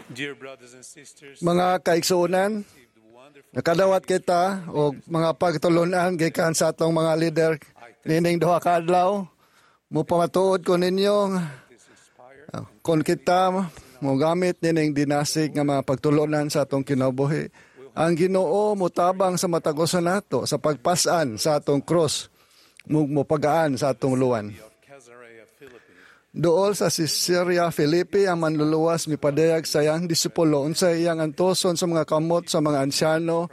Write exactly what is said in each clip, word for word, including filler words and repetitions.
Dear brothers and sisters, Mga kaigsuonan, nakadawat kita og mga pagtulunan gikan sa atong mga leader nining duha ka adlaw. Mupamatuod ko ninyo ah, kung kita mogamit nining dinasig nga mga pagtulunan sa atong kinabuhi. Ang Ginoo motabang sa matag usa nato sa pagpasan sa atong cross, mo mopagaan sa atong luwan. of Caesarea Philippi, Duol sa Caesarea Philippi ang Manluluwas mipadayag sa iyang disipulo unsa iyang antoson sa mga kamot sa mga ansyano,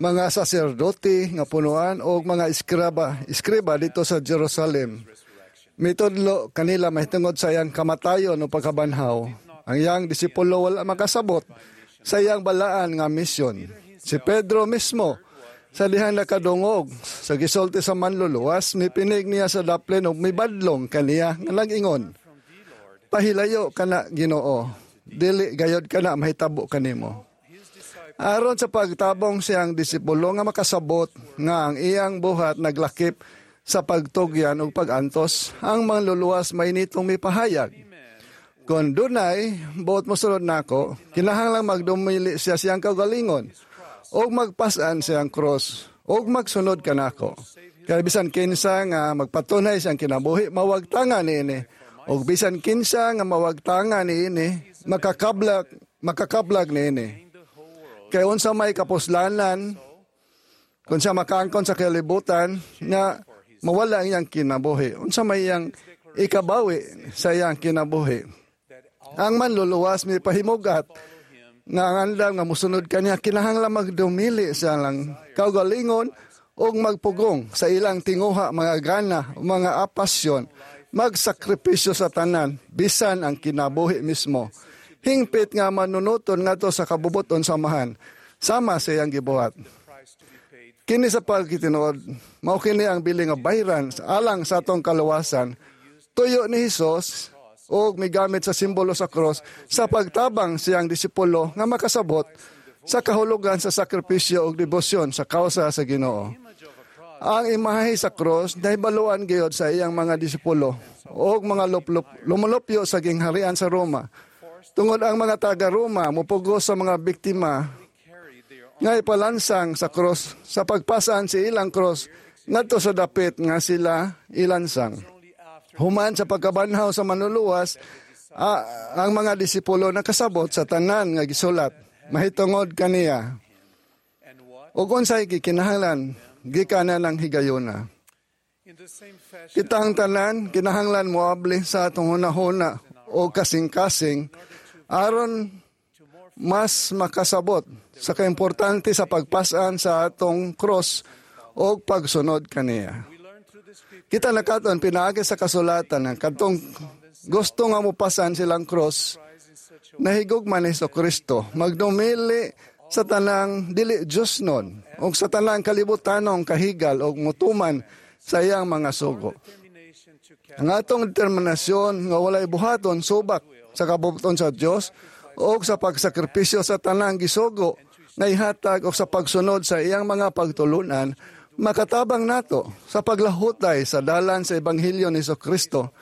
mga saserdote nga punuan og mga eskriba, eskriba didto sa Jerusalem. Mitudlo kanila mahitungod sa iyang kamatayon o pagkabanhaw. Ang iyang disipulo wala makasabot sa iyang balaan nga misyon. Si Pedro mismo sa dihang nakadungog sa gisulti sa Manluluwas, mipinig niya sa daplin ug mibadlong kaniya nga nag-ingon, "Pahilayo kana, Ginoo. Dili gayod kana mahitabo kanimo." Aron sa pagtabong siyang disipulo nga makasabot nga ang iyang buhat naglakip sa pagtugyan ug pagantos, ang Manluluwas mainitong mipahayag, "Kung dunay buot mosunod nako, kinahanglang magdumili siya siyang kaugalingon ug magpasan siyang cross ug magsunod kanako. Kay bisan kinsa nga magpatunay siyang kinabuhi, mawagtangan niini. Ug bisan kinsa nga mawagtangan niini, makakablag makakablag niini. Kay unsa may kapuslanan kung siya makaangkon sa kalibutan nga mawala ang iyang kinabuhi? Unsa may iyang ikabawi sa iyang kinabuhi?" Ang Manluluwas mipahimugat nga ang andam nga musunod kaniya kinahanglan magdumili sa ilang kaugalingon ug magpugong sa ilang tinguha, mga gana, mga pasyon, magsakripisyo sa tanan, bisan ang kinabuhi mismo. Hingpit nga manunuton ngadto sa kabubuton sa Amahan, sama sa iyang gibuhat. Kini sa pagkitinuod, mao kini ang bili nga bayran alang sa atong kaluwasan. Tuyo ni Hesus og migamit sa simbolo sa cross sa pagtabang siyang disipulo nga makasabot sa kahulugan sa sakripisyo ug debosyon sa kausa sa Ginoo. Ang imahe sa cross nahibaluan gayod sa iyang mga disipulo ug mga luplop, lumulupyo sa gingharian sa Roma. Tungod ang mga taga Roma mupugos sa mga biktima nga ipalansang sa cross sa pagpasan sa ilang cross ngadto sa dapit nga sila ilansang. Human sa pagkabanhaw sa Manluluwas, ah, ang mga disipulo nakasabot sa tanan nga gisulat mahitungod kaniya. Ug unsay gikinahanglan gikan ng higayuna. In the same fashion, Kitang tanan kinahanglan moabli sa atong hunahuna o kasing-kasing aron mas makasabot sa kaimportante sa pagpasan sa atong cross o pagsunod kaniya. We learn through the scripture Kita nakaton pinaagi sa kasulatan ang kadtong gusto nga mopasan silang cross in such a nahigugma ni Kristo magdumili sa tanang dili Diyos nun o sa tanang kalibutanong kahigal o mutuman sa iyang mga sugo. Determination to carry Ang atong determinasyon nga walay buhaton subak sa kabubuton sa Dios o sa pagsakripisyo sa tanang gisugo nga ihatag o sa pagsunod sa iyang mga pagtulunan makatabang nato sa paglahutay sa dalan sa ebanghelyo ni Kristo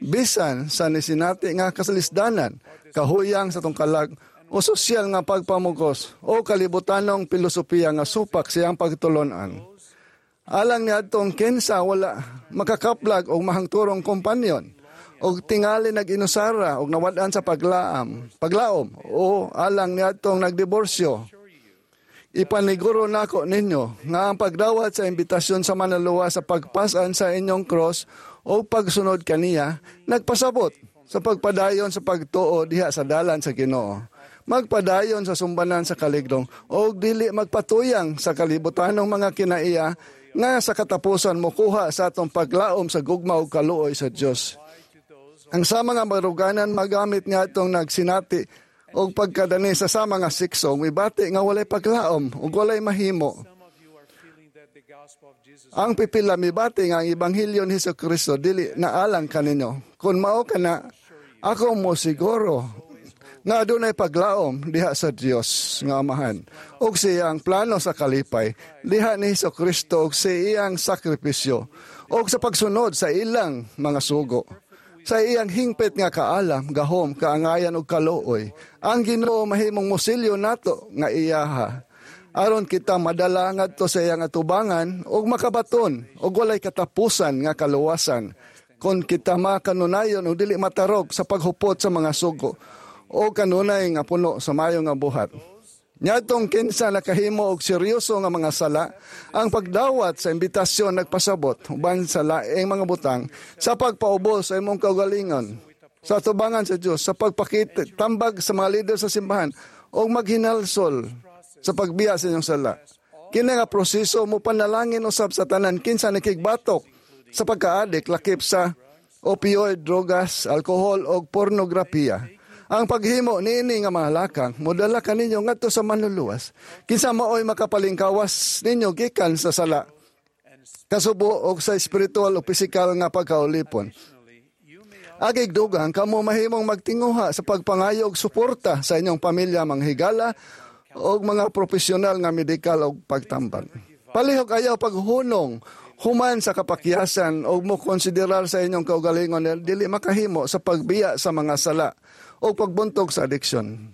bisan sa nisinati nga kasalisdanan, kahuyang sa tungkalag o sosyal nga pagpamugos o kalibutanong filosofiya nga supak siyang pagtulunan. Alang niadtong kinsa wala makakaplag og mahangturong kompanyon og tingali nag-inusara og nawad-an sa paglaam, paglaom o alang niadtong nagdiborsyo. Ipaniguro nako ninyo nga ang pagdawat sa imbitasyon sa Manluluwas sa pagpasan sa inyong cross o pagsunod kaniya nagpasabot sa pagpadayon sa pagtuo diha sa dalan sa Ginoo. Magpadayon sa sumbanan sa kaligdong o dili magpatuyang sa kalibutanong mga kinaiya nga sa katapusan mokuha sa atong paglaom sa gugma ug kaluoy sa Dios. Ang sama nga baruganan magamit nga atong nagsinati og pagkadani sa sama nga sikso mibati nga walay paglaom ug walay mahimo. Some of you are feeling that the gospel of Jesus Ang pipila mibati nga ang ebanghelyo ni Hesus Kristo dili naalang kaninyo. Kung mao kana, ako mo siguro nga adunay paglaom diha sa Dios nga Amahan ug siyang plano sa kalipay diha ni Hesus Kristo ug sa iyang sakripisyo ug sa pagsunod sa ilang mga sugo. Sa iyang hingpit nga kaalam, gahom, kaangayan ug kaluoy, ang Ginoo mahimong mosilyo nato nga iyaha aron kita madala ngadto sa iyang atubangan ug makabaton og walay katapusan nga kaluwasan kon kita makanunayon og dili matarog sa paghupot sa mga sugo o kanunay nga puno sa mayo nga buhat. Niadtong kinsa nakahimo og seryoso nga mga sala, ang pagdawat sa imbitasyon nagpasabot uban sa laing mga butang sa pagpaubos sa imong kaugalingon sa atubangan sa Dios, sa pagpakita tambag sa mga lider sa simbahan o maghinalsol sa pagbiya sa inyong sala. Kini nga proseso mo panalangin usab sa tanan kinsa nakigbatok sa pagkaadik lakip sa opioid, drogas, alkohol o pornografiya. Ang paghimo niini nga mga lakang modala kaninyo ngadto sa manluluwas. Kinsa maoy makapalingkawas ninyo gikan sa sala, kasubo o sa espiritual o pisikal nga pagkaulipon. Agig dugang kamo mahimong magtinguha sa pagpangayo og suporta sa inyong pamilya, mga higala o mga propesyonal nga medikal og pagtambag. Palihog ayaw paghunong human sa kapakyasan o mo konsiderar sa inyong kaugalingon na dili makahimo sa pagbiya sa mga sala o pagbuntog sa addiction.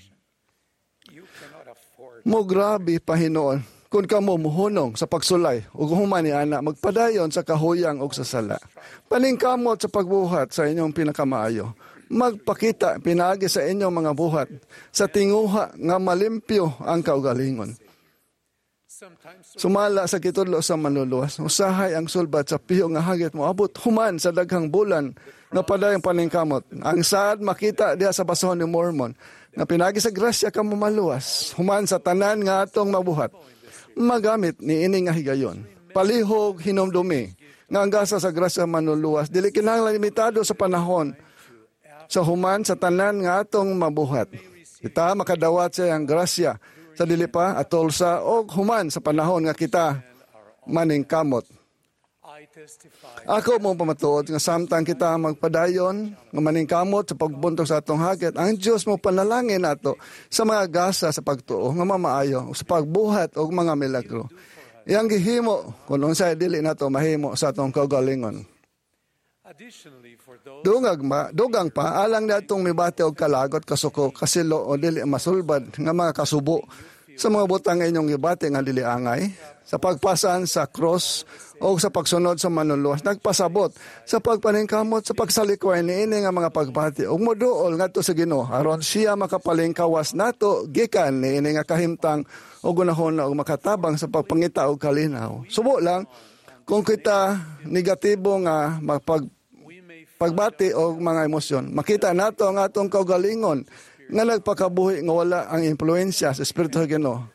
You cannot afford Mo grabe pahinuon kung kamo muhunong sa pagsulay ug human ni ana magpadayon sa kahuyang og sa sala. Paningkamot sa pagbuhat sa inyong pinakamaayo. Magpakita pinaagi sa inyong mga buhat sa tinguha nga malimpyo ang kaugalingon. Sometimes Sumala sa gitudlo sa manluluwas, usahay ang sulbad sa piyo nga hagit mo abot human sa daghang bulan nga padayong paningkamot. Ang saad makita diha sa basahon ni Mormon nga pinagi sa grasya kamo maluwas human sa tanan nga atong mabuhat. Magamit ni ini nga higayon. Palihog hinumdumi nga ang gasa sa grasya manluluwas dili kinahanglan limitado sa panahon sa human sa tanan nga atong mabuhat. Kita makadawat sa iyang grasya sa dili pa atol sa og human sa panahon nga kita maningkamot. I testify Ako mo pamatuod nga samtang kita magpadayon nga maningkamot sa pagbuntog sa atong hagit, ang Dios mo panalangin nato sa mga gasa sa pagtuo nga mamaayo sa pagbuhat og mga milagro. Iyang gihimo kung unsay dili nato mahimo sa atong kaugalingon. Additionally, for those Dungag ma, dugang pa alang natong mibati og kalagot, kasuko, kasilo o dili masulbad nga mga kasubo sa mga butang nga inyong gibati nga dili angay sa pagpasan sa cross o sa pagsunod sa manluluwas nagpasabot sa pagpaningkamot sa pagsalikway niini nga mga pagbati ug moduol ngadto sa Ginoo aron siya makapalingkawas nato gikan niini nga kahimtang ug gunahon og makatabang sa pagpangita og kalinaw. Subo lang kung kita negatibo nga mapag we may pagbati o mga emosyon. Makita nato ang atong kaugalingon nga nagpakabuhi nga wala ang impluensya sa Espiritu sa Ginoo.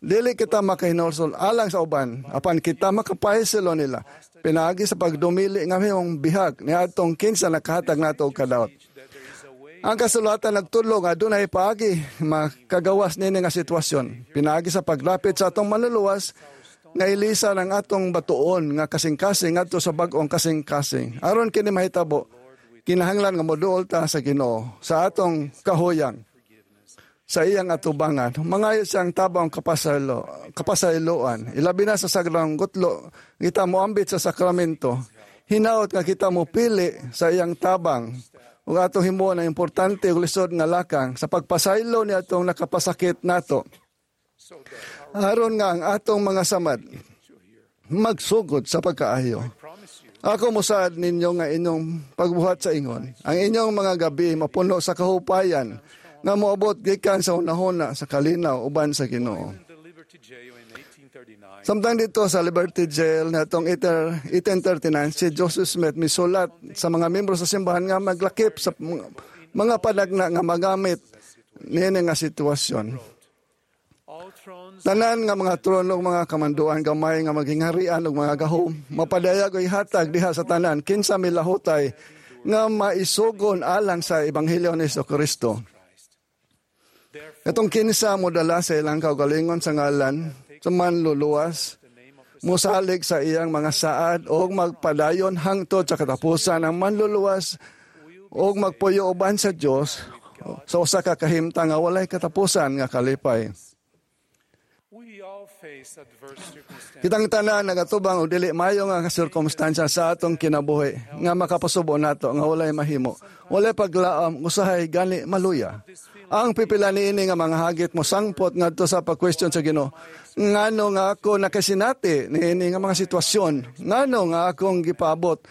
Dili kita makahinulsol alang sa uban, apan kita makapahisilo nila. Pinaagi sa pagdumili nga mahimong bihag ni atong kinsa nakahatag nato og kadaot. that there is a way Ang kasulatan nagtudlo nga dunay paagi makagawas nini nga sitwasyon. Pinaagi sa paglapit sa atong manluluwas nga ilisan ang atong batuon nga kasing-kasing ngadto sa bag-ong kasing-kasing. Aron kini mahitabo, kinahanglan nga moduol ta sa Ginoo sa atong kahuyang sa iyang atubangan. Mangayo siyang tabang kapasaylo, kapasayloan. Ilabi na sa sagrang gutlo, kita moambit sa sakramento. Hinaot nga kita mo pili sa iyang tabang ug atong himuon ang importante ug lisod nga lakang sa pagpasaylo ni atong nakapasakit nato. so that our Aron nga ang atong mga samad magsugod sa pagkaayo. promise you Ako mosaad ninyo nga inyong pagbuhat sa ingon. Ang inyong mga gabi mapuno sa kahupayan nga moabot gikan sa hunahuna sa kalinaw uban sa Ginoo. in the Liberty Jail in eighteen thirty-nine Samtang dito sa Liberty Jail na itong eighteen thirty-nine, si Joseph Smith misulat sa mga membro sa simbahan nga maglakip sa mga mga panagna nga magamit niini nga sitwasyon. All thrones Tanan nga mga trono ug mga kamanduan, gamay nga magingharian ug mga gahom mapadayag o ihatag diha sa tanan kinsa milahutay nga maisugon alang sa ebanghelyo ni Kristo. Therefore Katong kinsa modala sa ilang kaugalingon sa ngalan sa manluluwas, the name of the mosalig sa iyang mga saad og magpadayon hangtod sa katapusan ang manluluwas og magpuyo uban sa Dios sa usa ka kahimtang nga walay katapusan nga kalipay. We We all face adverse circumstances. Kitang tanan nagatubang og dili maayo nga sirkumstansya sa atong kinabuhi nga makapasubo nato nga walay mahimo. Walay paglaom, usahay gani maluya. Ang pipila niini nga mga hagit mo sangpot ngadto sa pag-question sa Ginoo. Ngano nga ako nakasinati niini nga mga sitwasyon? Ngano nga akong gipaabot?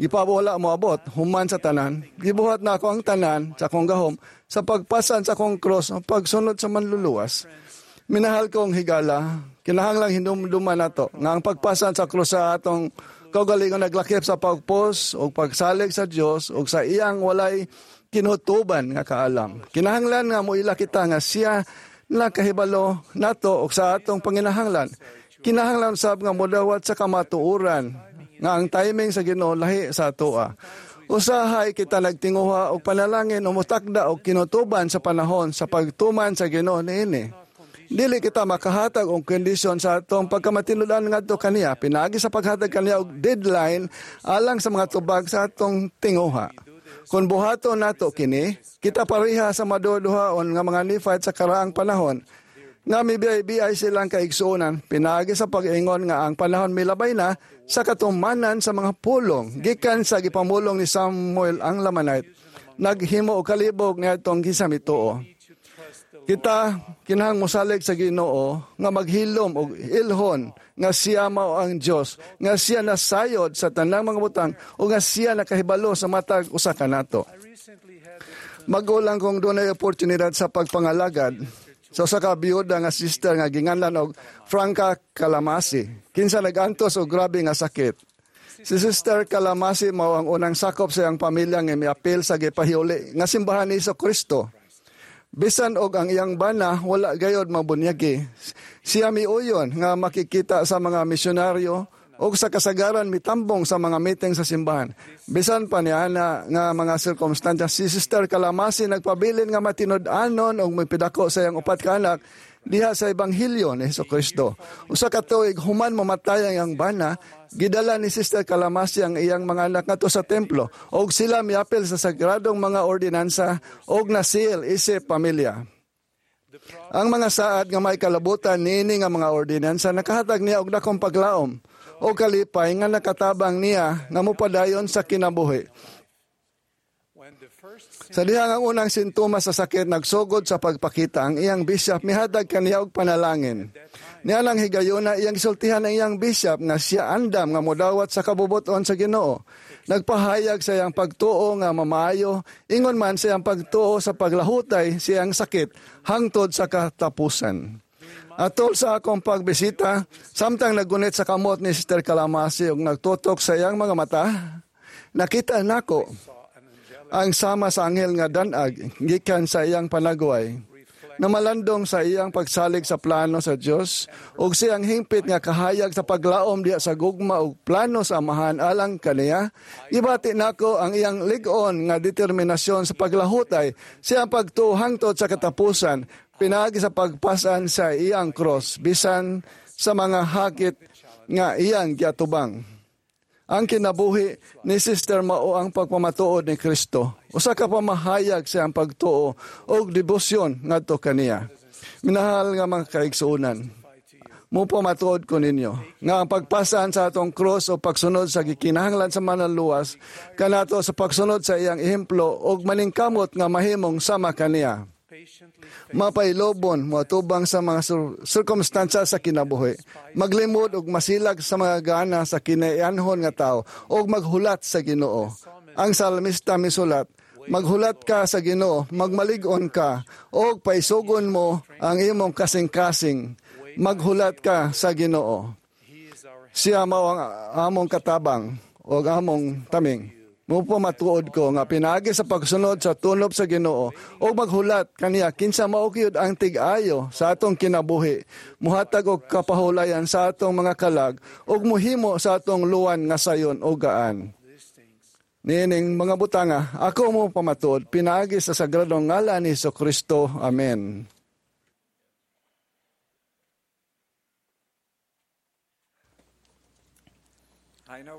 Gipabo wala moabot human sa tanan. Gibuhat na ako ang tanan sa akong gahom sa pagpasan sa akong cross, ang pagsunod sa manluluwas. Minahal kong higala, kinahanglang hinumduman nato nga ang pagpasan sa krus sa atong kaugalingon naglakip sa pagpos o pagsalig sa Dios o sa iyang walay kinutuban nga kaalam. Kinahanglan nga moila kita nga siya nakahibalo nato og sa atong panginahanglan. Kinahanglan sab nga modawat sa kamatuoran nga ang timing sa Ginoo lahi sa atoa. Usahay kita nagtinguha og panalangin o mutakda og kinutuban sa panahon sa pagtuman sa Ginoo niini. Dili kita makahatag og kondisyon sa atong pagkamatinud-an ngadto kaniya pinaagi sa paghatag kaniya og deadline alang sa mga tubag sa atong tinguha. Kung buhaton nato kini, kita pareha sa maduduhaon nga mga Nephite sa karaang panahon nga mibiyay-biyay silang kaigsuonan pinaagi sa pag-ingon nga ang panahon milabay na sa katumanan sa mga pulong gikan sa gipamulong ni Samuel ang Lamanite naghimo og kalibog niadtong gisamituo. Kita kinahang mosalig sa Ginoo nga maghilom og ilhon nga siya mao ang Dios, nga siya nasayod sa tanang mga butang o nga siya nakahibalo sa matag usa kanato. Magulang kong dunay oportunidad sa pagpangalagad sa usa ka biyuda nga sister nga ginganlan og Franca Calamasi, kinsa nag-antos og grabe nga sakit. Si Sister Calamasi mao ang unang sakop sa iyang pamilya nga miapil sa gipahiuli nga simbahan ni Kristo. Bisan og ang iyang bana wala gayod mabunyagi. Siya miuyon nga makikita sa mga misyonaryo og sa kasagaran mitambong sa mga meeting sa simbahan. Bisan pa niya na nga mga sirkumstansya, si Sister Calamasi nagpabilin nga matinud-anon og mipidako sa iyang upat ka anak diha sa Ebanghelyo ni Hesukristo. Usa ka tuig human mamatay ang iyang bana, gidala ni Sister Calamasi ang iyang mga anak ngadto sa templo og sila miapil sa sagradong mga ordinansa og nasil isip pamilya. Ang mga saad nga may kalabutan niini nga mga ordinansa nakahatag niya og dakong paglaom o kalipay nga nakatabang niya nga mopadayon sa kinabuhi. Sa dihang ang unang sintomas sa sakit nagsugod sa pagpakita, ang iyang bishop mihatag kaniya og panalangin. Nianang higayona iyang gisultihan ang iyang bishop nga siya andam nga modawat sa kabubuton sa Ginoo. Nagpahayag sa iyang pagtuo nga mamaayo, ingon man sa iyang pagtuo sa paglahutay sa iyang sakit hangtod sa katapusan. Atol sa akong pagbisita, samtang naggunit sa kamot ni Sister Calamasi ug nagtutok sa iyang mga mata, nakita nako ang sama sa anghel nga danag gikan sa iyang panagway. Namalandong sa iyang pagsalig sa plano sa Dios ug siyang hingpit nga kahayag sa paglaom diha sa gugma ug plano sa Amahan alang kaniya. Gibati nako ang iyang lig-on nga determinasyon sa paglahutay siyang pagtuo hangtod sa katapusan pinaagi sa pagpasan sa iyang cross bisan sa mga hakit nga iyang giatubang. Ang kinabuhi ni Sister mao ang pagpamatuod ni Kristo. Usa ka pamahayag sa iyang pagtuo og debosyon ngadto kaniya. Minahal nga mga kaigsuonan, mopamatuod ko ninyo nga ang pagpasan sa atong cross o pagsunod sa gikinahanglan sa manluluwas kanato sa pagsunod sa iyang ehemplo og maningkamot nga mahimong sama kaniya. Mapailobon moatubang sa mga sirkumstansya sa kinabuhi, maglimod og masilag sa mga gana sa kinaianhon nga tao og maghulat sa Ginoo. Ang salmista misulat, maghulat ka sa Ginoo, magmalig-on ka og paisugon mo ang imong kasing-kasing. Maghulat ka sa Ginoo. Siya mao ang among katabang og among taming. Mopamatuod ko nga pinaagi sa pagsunod sa tunob sa Ginoo og maghulat kaniya kinsa mao gyud ang tig-ayo sa atong kinabuhi, muhatag og kapahulayan sa atong mga kalag og muhimo sa atong luwan nga sayon og gaan. Niining mga butanga, ako mopamatuod pinaagi sa sagradong ngalan ni Kristo. Amen.